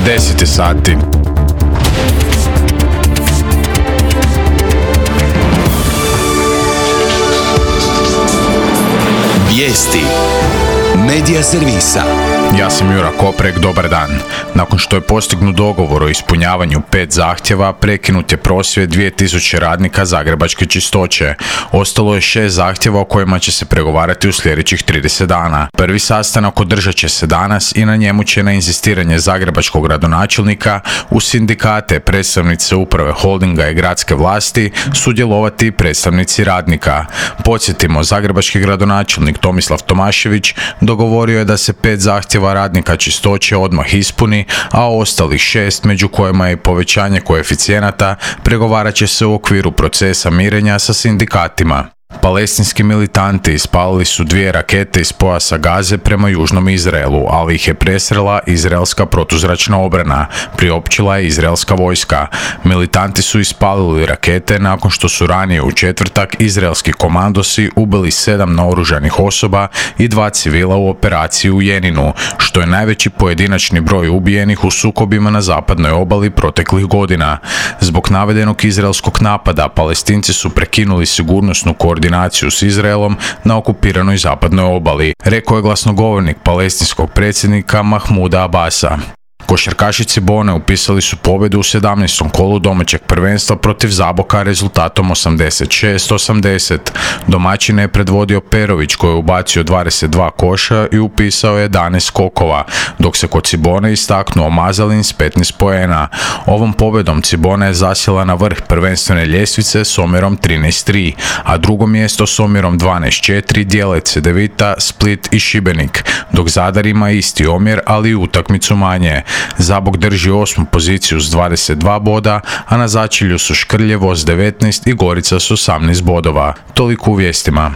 10 sati. Vijesti Medija servisa. Ja sam Jura Koprek, dobar dan. Nakon što je postignut dogovor o ispunjavanju 5 zahtjeva, prekinut je prosvjed 2000 radnika zagrebačke čistoće. Ostalo je 6 zahtjeva o kojima će se pregovarati u sljedećih 30 dana. Prvi sastanak održat će se danas i na njemu će na inzistiranje zagrebačkog gradonačelnika u sindikate, predstavnice uprave holdinga i gradske vlasti sudjelovati predstavnici radnika. Podsjetimo, zagrebački gradonačelnik Tomislav Tomašević dogovorio je da se 5 zahtjeva radnika čistoće odmah ispuni, a ostalih 6, među kojima je i povećanje koeficijenata, pregovarat će se u okviru procesa mirenja sa sindikatima. Palestinski militanti ispalili su 2 rakete iz pojasa Gaze prema južnom Izraelu, ali ih je presrela izraelska protuzračna obrana, priopćila je izraelska vojska. Militanti su ispalili rakete nakon što su ranije u četvrtak izraelski komandosi ubili 7 naoružanih osoba i 2 civila u operaciji u Jeninu, što je najveći pojedinačni broj ubijenih u sukobima na zapadnoj obali proteklih godina. Zbog navedenog izraelskog napada, Palestinci su prekinuli sigurnosnu koordinaciju s Izraelom na okupiranoj zapadnoj obali, rekao je glasnogovornik palestinskog predsjednika Mahmuda Abasa. Košarkaši Cibone upisali su pobjedu u 17. kolu domaćeg prvenstva protiv Zaboka rezultatom 86-80. Domaćine je predvodio Perović koji je ubacio 22 koša i upisao 11 skokova, dok se kod Cibone istaknuo Mazalin s 15 poena. Ovom pobjedom Cibona je zasjela na vrh prvenstvene ljestvice s omjerom 13-3, a drugo mjesto s omjerom 12-4 dijele Cedevita, Split i Šibenik, dok Zadar ima isti omjer, ali i utakmicu manje. Zabok drži 8. poziciju s 22 boda, a na začelju su Škrljevo s 19 i Gorica s 18 bodova. Toliko u vijestima.